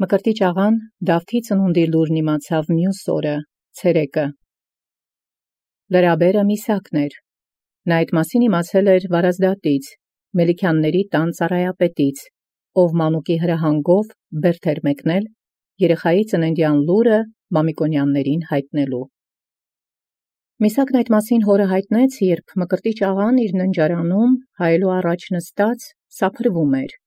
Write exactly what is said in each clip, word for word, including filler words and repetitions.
Մկրտիչ աղան Դավթի ծնունդի լուրն իմացավ մյուս օրը, ցերեկը։ Լրաբերը Միսակն էր։ Նա այդ մասին իմացել էր Վարազդատից, Մելիքյանների տան ծառայապետից, ով մանուկի հրահանգով բերդ էր մեկնել երեխայի ծննդյան լուրը Մամիկոնյաններին հայտնելու։ Միսակն այդ մասին հորը հայտնեց, երբ Մկրտիչ աղան իր ննջարանում հայելու առաջ նստած սափրվում էր։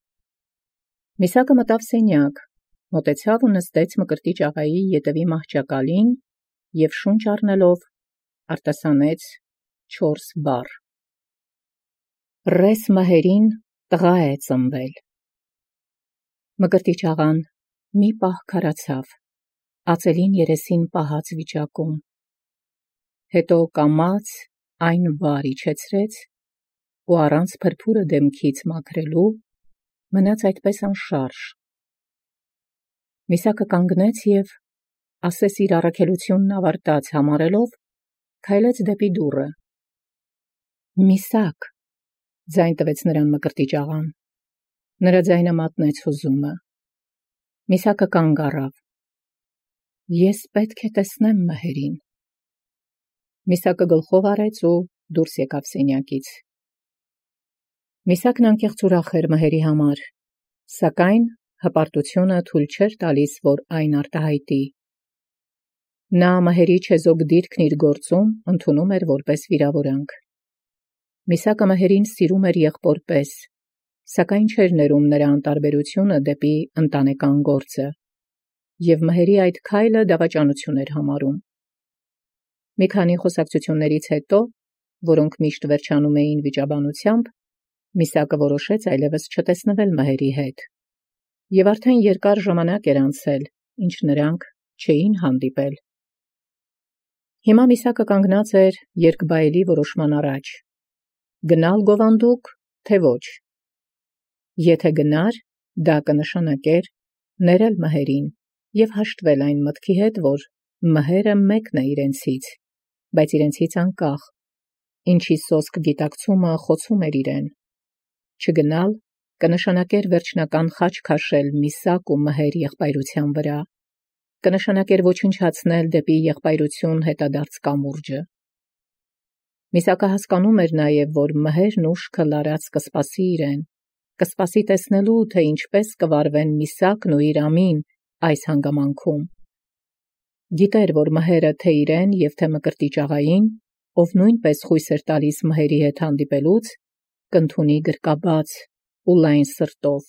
Միսակը մտավ սենյակ, մոտեցավ ու նստեց Մկրտիչ աղայի ետևի մահճակալին և շունչ առնելով արտասանեց չորս բառ. «Ռես մհերին տղա է ծնվել»։ Մկրտիչ աղան մի պահ քարացավ, ածելին երեսին պահած վիճակում, հետո կամաց այն վար իջեցրեց ու առանց փրփուրը դեմքից մաքրելու մնաց այդպես անշարժ։ Միսակը կանգնեց և, ասես իր առաքելությունն ավարտած համարելով, քայլեց դեպի դուռը։ «Միսակ», ձայն տվեց նրան Մկրտիչ աղան։ Նրա ձայնը մատնեց հուզումը։ Միսակը կանգ առավ։ «Ես պետք է տեսնեմ մհերին»։ Միսակը գլխով արեց ու դուրս եկավ սենյակից։ Միսակն անկեղծ ուրախ էր մհերի համար, սակայն հպարտությունը թույլ չէր տալիս, որ այն արտահայտի։ Նա մհերի չեզոք դիրքն իր գործում ընդունում էր որպես վիրավորանք։ Միսակը մհերին սիրում էր եղբոր պես, սակայն չէր ներում նրա անտարբերությունը դեպի ընտանեկան գործը, և մհերի այդ քայլը դավաճանություն էր համարում։ Մի քանի խոսակցություններից հետո, որոնք միշտ վերջանում էին վիճաբանությամբ, Միսակը որոշեց այլևս չտեսնվել մհերի հետ, և արդեն երկար ժամանակ էր անցել, ինչ նրանք չէին հանդիպել։ Հիմա Միսակը կանգնած էր երկբայելի որոշման առաջ. գնալ գովանդուկ, թե ոչ։ Եթե գնար, դա կնշանակեր ներել մհերին և հաշտվել այն մտքի հետ, որ մհերը մեկն է իրենցից, բայց իրենցից անկախ, ինչի սոսկ գիտակցումը խոցում էր իրեն։ Չգնալ կնշանակեր վերջնական խաչ քաշել Միսակ ու մհեր եղբայրության վրա, կնշանակեր ոչնչացնել դեպի եղբայրություն հետադարձ կամուրջը։ Միսակը հասկանում էր նաև, որ մհերն ուշքը լարած կսպասի իրեն, կսպասի տեսնելու, թե ինչպես կվարվեն Միսակն ու իր ամին այս հանգամանքում։ Գիտեր, որ մհերը թե իրեն և թե Մկրտիչ աղային, ով նույնպես խույս էր տալիս մհերի հետ հանդիպելուց, կընդունի գրկաբաց ու լայն սրտով։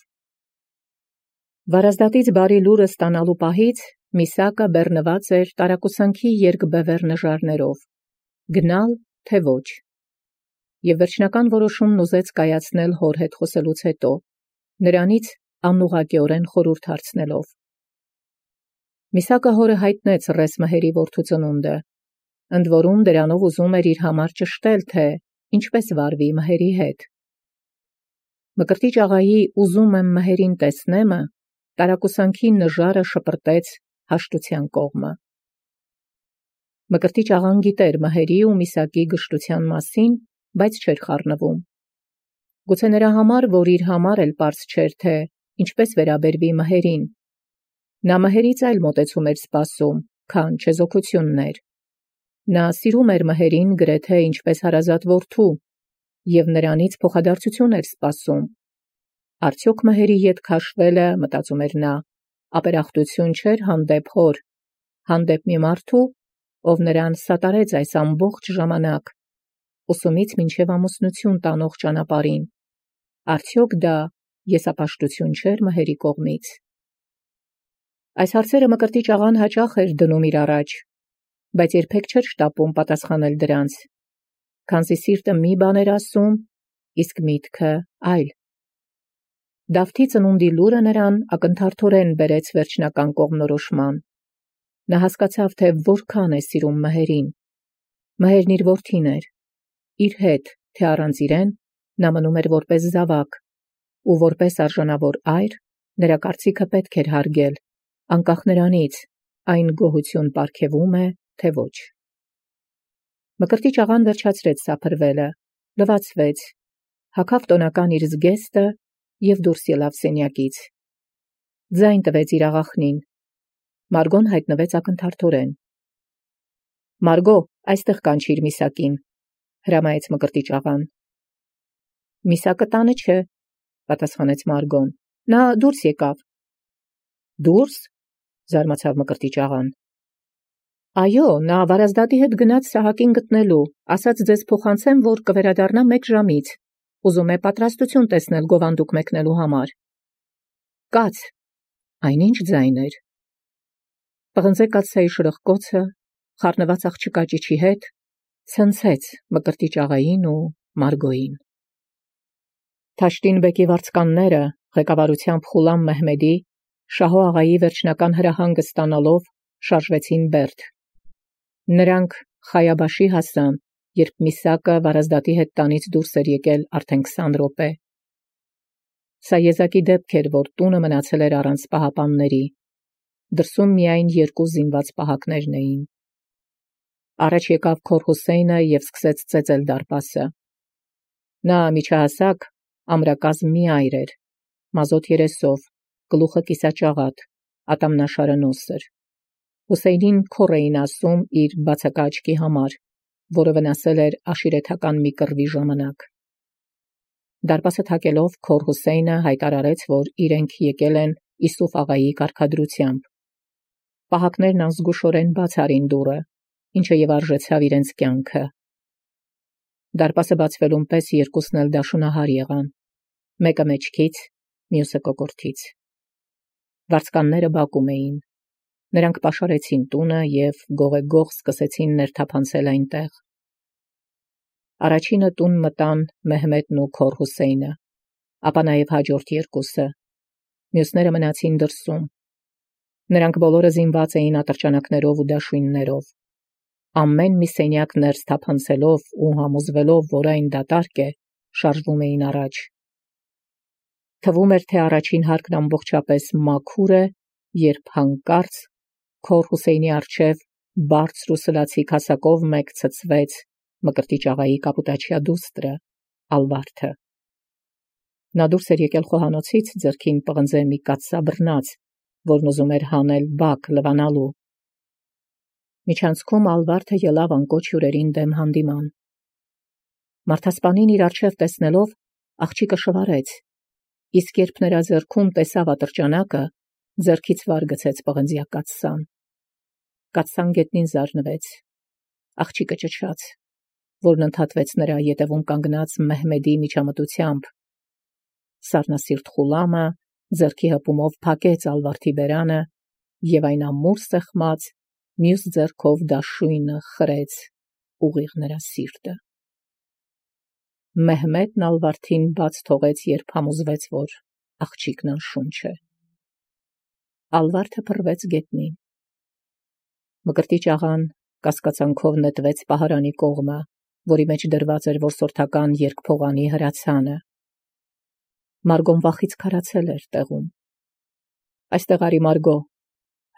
Վարազդատից բարի լուրը ստանալու պահից Միսակը բեռնված էր տարակուսանքի երկբևեռ նժարներով, գնալ, թե ոչ, և վերջնական որոշումն ուզեց կայացնել հոր հետ խոսելուց հետո, նրանից անուղղակիորեն խորհուրդ հարցնելով։ Միսակը հորը հայտնեց ռես մհերի որդու ծնունդը, ընդ որում դրանով ուզում էր իր համար ճշտել, թե ինչպես վարվի մհերի հետ։ Մկրտիչ աղայի «ուզում եմ մհերին տեսնեմը» տարակուսանքի նժարը շպրտեց հաշտության կողմը։ Մկրտիչ աղան գիտեր մհերի ու Միսակի գժտության մասին, բայց չէր խառնվում։ Գուցե նրա համար, որ իր համար էլ պարզ չէր, թե ինչպես վերաբերվի մհերին։ Նա մհերից այլ մոտեցում էր սպասում, քան չեզոքություններ։ Նա սիրում էր մհերին գրեթե ինչպես հարազատ որդու, և նրանից փոխադարձություն էր սպասում։ Արդյոք մհերի ետ քաշվելը, մտածում էր նա, ապերախտություն չէր հանդեպ հոր, հանդեպ մի մարդու, ով նրան սատարեց այս ամբողջ ժամանակ, ուսումից մինչև ամուսնություն տանող ճանապարհին, արդյոք դա եսապաշտություն չէր մհերի կողմից։ Այս հարցերը Մկրտիչ աղան հաճախ էր դնում իր առաջ, բայց երբեք չէր շտապում պատասխանել դրանց, քանզի սիրտը մի բան էր ասում, իսկ միտքը այլ։ Դավթի ծնունդի լուրը նրան ակնթարթորեն բերեց վերջնական կողմնորոշման։ Նա հասկացավ, թե որքան է սիրում մհերին։ Մհերն իր որդին էր, իր հետ, թե առանց իրեն, նա մնում էր որպես զավակ, ու որպես արժանավոր այր, նրա կարծիքը պետք էր հարգել, անկախ նրանից, այն գոհություն պարգևում է, թե ոչ։ Մկրտիչ աղան վերջացրեց սափրվելը, լվացվեց, հագավ տոնական իր զգեստը և դուրս ելավ սենյակից։ ձայն տվեց իր աղախնին։ Մարգոն հայտնվեց ակնթարթորեն։ Մարգո, այստեղ կանչիր Միսակին, հրամայեց Մկրտիչ աղան։ Միսակը տանը չէ, պատասխանեց Մարգոն, նա դուրս եկավ։ Դուրս, զարմացավ Մկրտիչ աղան։ Այո, նա Վարազդատի հետ գնաց Սահակին գտնելու, ասաց ձեզ փոխանցեմ, որ կվերադառնա մեկ ժամից, ուզում է պատրաստություն տեսնել գովանդուկ մեկնելու համար։ Կաց, այնինչ ձայն էր։ Պղնձե կաթսայի շրխկոցը, խառնված աղջկա ճիչի հետ, ցնցեց Մկրտիչ աղային ու Մարգոյին։ Թաշտին բեկի վարձկանները, ղեկավարությամբ Խուլամ Մեհմեդի, Շահո աղայի վերջնական հրահանգը ստանալով, շարժվեցին Բերդ։ Նրանք Խայաբաշի հասան, երբ Միսակը Վարազդատի հետ տանից դուրս էր եկել արդեն քսան րոպե։ Սա եզակի դեպք էր, որ տունը մնացել էր առանց պահապանների։ Դրսում միայն երկու զինված պահակներն էին։ Առաջ եկավ Քոր Հուսեյնը և սկսեց ծեծել դարպասը։ Նա միջահասակ, ամրակազմ մի այր էր, մազոտ երեսով, գլուխը կիսաճաղատ, ատամնաշարը նոսր։ Հուսեյնին քոր էին ասում իր բացակա աչքի համար, որը վնասել էր աշիրեթական մի կռվի ժամանակ։ Դարպասը թակելով Քոր Հուսեյնը հայտարարեց, որ իրենք եկել են Իսուֆ աղայի կարգադրությամբ։ Պահակներն անզգուշորեն բաց արին դուռը, ինչը և արժեցավ իրենց կյանքը։ Դարպասը բացվելուն պես երկուսն էլ դաշունահար եղան, մեկը մեջքից, մյուսը կոկորդից։ Վարձկանները բակում էին։ Նրանք պաշարեցին տունը և գողեգող սկսեցին ներթափանցել այնտեղ։ Առաջինը տուն մտան Մեհմեդն ու Քոր Հուսեյնը, ապա նաև հաջորդ երկուսը։ Մյուսները մնացին դրսում։ Նրանք բոլորը զինված էին ատրճանակներով ու դաշույններով։ Ամեն մի սենյակ ներս թափանցելով ու համոզվելով, որ այն դատարկ է, շարժվում էին առաջ։ Թվում էր, թե առաջին հարկն ամբողջապես մաքուր է, երբ հանկարծ Քոր Հուսեյնի առջև բարձր ու սլացիկ հասակով մեկ ցցվեց Մկրտիչ աղայի կապուտաչյա դուստրը, Ալվարդը։ Նա դուրս էր եկել խոհանոցից, ձեռքին պղնձե մի կաթսաբռնած, որն ուզում էր հանել բակ լվանալու։ Միջանցքում Ալվարդը ելավ անկոչ հյուրերին դեմ հանդիման։ Մարդասպանին իր առջև տեսնելով, աղջիկը շվարեց, իսկ երբ նրա ձեռքում տեսավ ատրճանակը, ձեռքից վար գցեց պղնձյա կաթսան։ Կաթսան գետնին զարնվեց։ Աղջիկը ճչաց, որն ընդհատվեց նրա ետևում կանգնած Մեհմեդի միջամտությամբ։ Սառնասիրտ Խուլամը ձեռքի հպումով փակեց Ալվարդի բերանը և այն ամուր սեղմած, մյուս ձեռքով դաշույնը խրեց ուղիղ նրա սիրտը։ Մեհմեդն Ալվարդին բաց թողեց, երբ համոզվեց, որ աղջիկն անշունչ է։ Ալվարդը փռվեց գետնին։ Մկրտիչ աղան կասկածանքով նետվեց պահարանի կողմը, որի մեջ դրված էր որսորդական երկփողանի հրացանը։ Մարգոն վախից քարացել էր տեղում։ Այստեղ արի, Մարգո,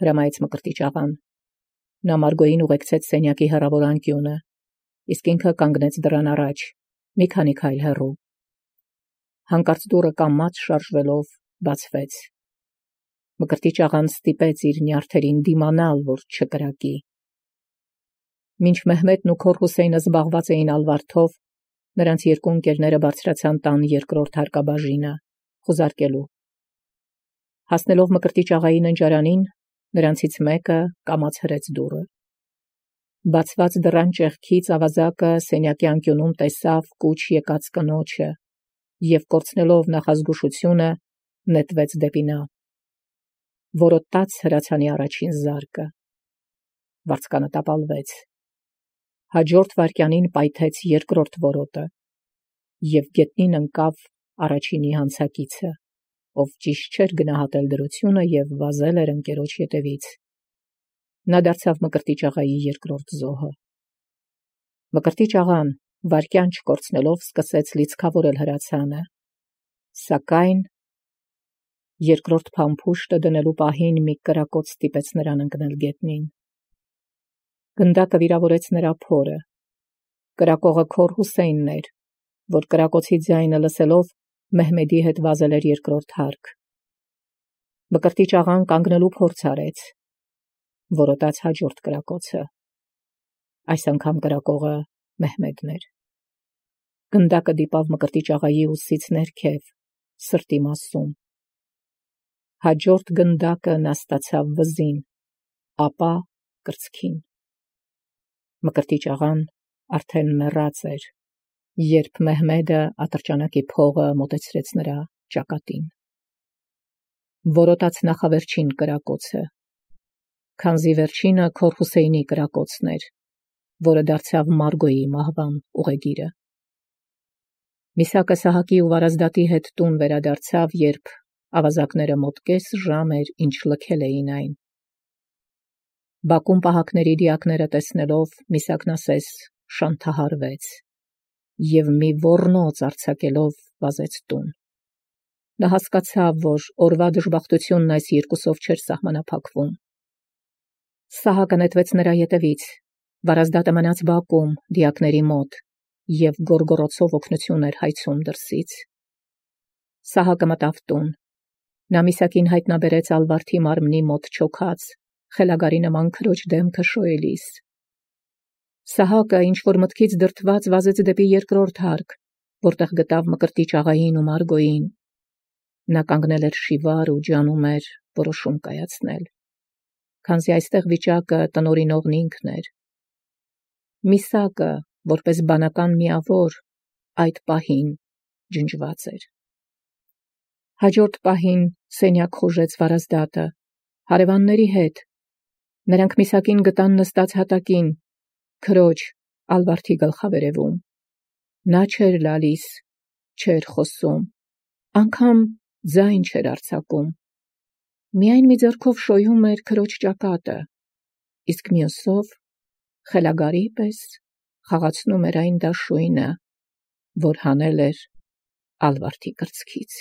հրամայեց Մկրտիչ աղան։ Նա Մարգոյին ուղեկցեց սենյակի հեռավոր անկյունը, իսկ ինքը կանգնեց դռան առաջ, մի քանի քայլ հեռու։ Հանկարծ դուռը կամաց շարժվելով բացվեց։ Մկրտիչ աղան ստիպեց իր նյարդերին դիմանալ, որ չկրակի։ Մինչ Մեհմեդն ու Քոր Հուսեյնը զբաղված էին Ալվարդով, նրանց երկու ընկերները բարձրացան տան երկրորդ հարկաբաժինը, խուզարկելու։ Հասնելով Մկրտիչ աղայի ննջարանին, նրանցից մեկը կամաց հրեց դուռը։ Բացված դռան ճեղքից ավազակը սենյակի անկյունում տեսավ կուչ եկած կնոջը և կորցնելով նախազգուշությունը նետվեց դեպի նա։ Որոտաց հրացանի առաջին զարկը։ Վարձկանը տապալվեց։ Հաջորդ վայրկյանին պայթեց երկրորդ որոտը և գետնին ընկավ առաջինի հանցակիցը, ով ճիշտ չէր գնահատել դրությունը և վազել էր ընկերոջ ետևից։ Նա դարձավ Մկրտիչ աղայի երկրորդ զոհը։ Մկրտիչ աղան, վայրկյան չկորցնելով, սկսեց լիցքավորել հրացանը, սակայն երկրորդ փամփուշտը դնելու պահին մի կրակոտ ստիպեց նրան ընկնել գետնին։ Գնդակը վիրավորեց նրա փորը։ Կրակողը Քոր Հուսեյնն էր, որ կրակոցի ձայնը լսելով Մեհմեդի հետ վազել էր երկրորդ հարկ։ Մկրտիչ աղան կանգնելու փորձ արեց, որոտաց հաջորդ կրակոցը, այս անգամ կրակողը Մեհմեդն էր։ Գնդակը դիպավ մկրտիչ աղայի ուսից ներքև, սրտի մասում։ Հաջորդ գնդակը նա ստացավ վզին, ապա կրծքին։ Մկրտիչ աղան արդեն մեռած էր, երբ Մեհմեդը ատրճանակի փողը մոտեցրեց նրա ճակատին։ Որոտաց նախավերջին կրակոցը, քանզի վերջինը Քոր Հուսեյնի կրակոցն էր, որը դարձավ Մարգոյի մահվան ուղեգիրը։ Միսակը Սահակի ու Վարազդատի հետ տուն վերադարձավ, երբ ավազակները մոտ կես ժամ էր, ինչ լքել էին այն։ Բակում պահակների դիակները տեսնելով, Միսակն ասես շանթահարվեց և մի ոռնոց արձակելով վազեց տուն։ Նա հասկացավ, որ օրվա դժբախտությունն այս երկուսով չէր սահմանափակվում։ Սահակը նետվեց նրա ետևից, Վարազդատը մնաց բակում դիակների մոտ և գոռգոռոցով օգնություն էր հայցում դրսից։ Սահակը մտավ տուն։ Նա Միսակին հայտնաբերեց Ալվարդի մարմնի մոտ չոքած, խելագարի նման քրոջ դեմքը շոյելիս։ Սահակը ինչ-որ մտքից դրդված վազեց դեպի երկրորդ հարկ, որտեղ գտավ մկրտիչ աղային ու Մարգոյին։ Նա կանգնել էր շիվար ու ջանում էր որոշում կայացնել, քանզի այստեղ վիճակը տնօրինողն ինքն էր։ Միսակը, որպես բանական միավոր, այդ պահին ջնջված էր։ Հաջորդ պահին սենյակ խոժեց Վարազդատը հարևանների հետ։ Նրանք Միսակին գտան նստած հատակին, քրոջ Ալվարդի գլխավերևում։ Նա չէր լալիս, չէր խոսում, անգամ ձայն չէր արձակում։ Միայն մի ձեռքով շոյում էր քրոջ ճակատը, իսկ մյուսով խելագարի պես խաղացնում էր այն դաշույնը, որ հանել էր Ալվարդի կրծքից։